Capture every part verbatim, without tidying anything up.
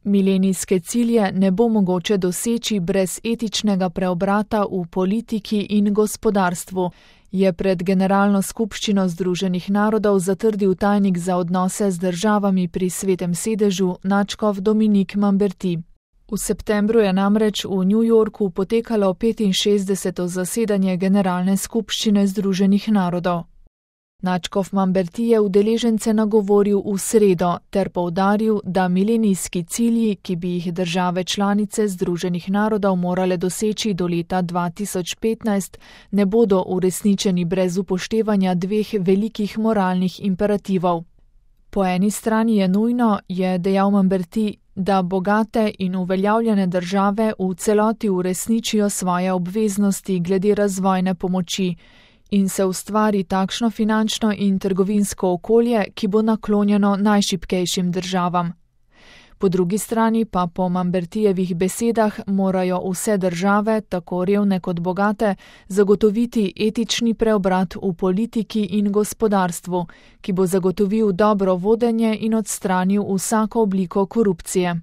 Milenijske cilje ne bo mogoče doseči brez etičnega preobrata v politiki in gospodarstvu, je pred Generalno skupščino Združenih narodov zatrdil tajnik za odnose z državami pri Svetem sedežu nadškof Dominique Lamberty. V septembru je namreč v New Yorku potekalo petinšestdeseto zasedanje Generalne skupščine Združenih narodov. Nadškof Lamberty je udeležence nagovoril v sredo ter poudaril, da milenijski cilji, ki bi jih države članice Združenih narodov morale doseči do leta dva tisoč petnajst, ne bodo uresničeni brez upoštevanja dveh velikih moralnih imperativov. Po eni strani je nujno, je dejal Lamberty, da bogate in uveljavljene države v celoti uresničijo svoje obveznosti glede razvojne pomoči in se ustvari takšno finančno in trgovinsko okolje, ki bo naklonjeno najšibkejšim državam. Po drugi strani pa po Lambertyjevih besedah morajo vse države, tako revne kot bogate, zagotoviti etični preobrat v politiki in gospodarstvu, ki bo zagotovil dobro vodenje in odstranil vsako obliko korupcije.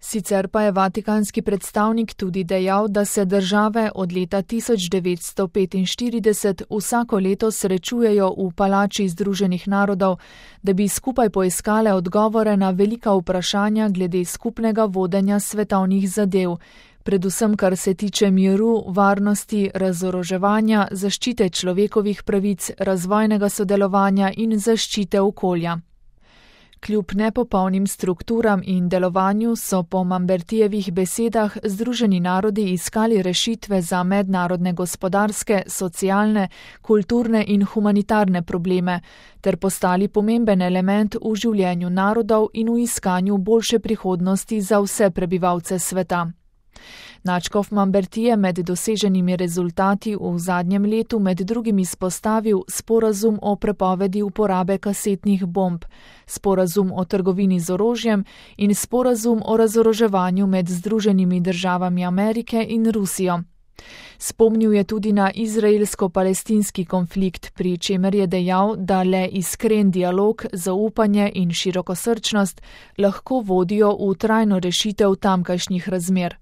Sicer pa je vatikanski predstavnik tudi dejal, da se države od leta tisoč devetsto petinštirideset vsako leto srečujejo v palači Združenih narodov, da bi skupaj poiskale odgovore na velika vprašanja glede skupnega vodenja svetovnih zadev, predvsem kar se tiče miru, varnosti, razoroževanja, zaščite človekovih pravic, razvojnega sodelovanja in zaščite okolja. Kljub nepopolnim strukturam in delovanju so po Lambertyjevih besedah Združeni narodi iskali rešitve za mednarodne gospodarske, socialne, kulturne in humanitarne probleme ter postali pomemben element v življenju narodov in v iskanju boljše prihodnosti za vse prebivalce sveta. Nadškof Lamberty je med doseženimi rezultati v zadnjem letu med drugim izpostavil sporazum o prepovedi uporabe kasetnih bomb, sporazum o trgovini z orožjem in sporazum o razoroževanju med Združenimi državami Amerike in Rusijo. Spomnil je tudi na izraelsko-palestinski konflikt, pri čemer je dejal, da le iskren dialog, zaupanje in širokosrčnost lahko vodijo v trajno rešitev tamkajšnjih razmer.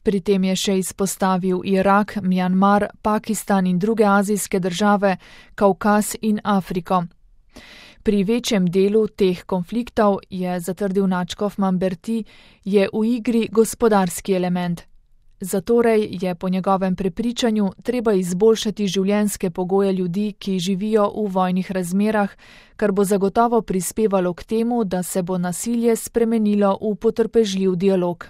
Pri tem je še izpostavil Irak, Mjanmar, Pakistan in druge azijske države, Kavkaz in Afriko. Pri večjem delu teh konfliktov, je zatrdil nadškof Lamberty, je v igri gospodarski element. Zatorej je po njegovem prepričanju treba izboljšati življenjske pogoje ljudi, ki živijo v vojnih razmerah, kar bo zagotovo prispevalo k temu, da se bo nasilje spremenilo v potrpežljiv dialog.